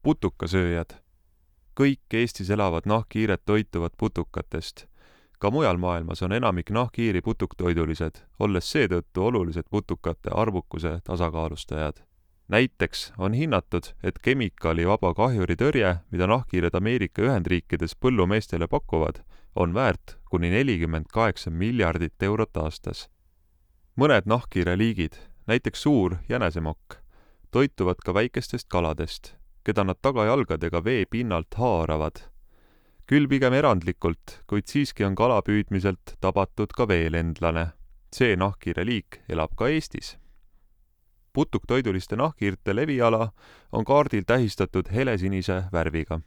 Putukasööjad. Kõik Eestis elavad nahkhiired toituvad putukatest. Ka mujal maailmas on enamik nahkhiiri putuktoidulised, olles seetõttu olulised putukate arvukuse tasakaalustajad. Näiteks on hinnatud, et kemikaalivaba kahjuritõrje, mida nahkhiired Ameerika Ühendriikides põllumeestele pakuvad, on väärt kuni 48 miljardit eurot aastas. Mõned nahkhiire liigid, näiteks suur jänesemokk, toituvad ka väikestest kaladest, keda nad tagajalgadega vee pinnalt haaravad. Küll pigem erandlikult, kuid siiski on kalapüüdmiselt tabatud ka veelendlane. See nahkhiire liik elab ka Eestis. Putuktoiduliste nahkhiirte leviala on kaardil tähistatud helesinise värviga.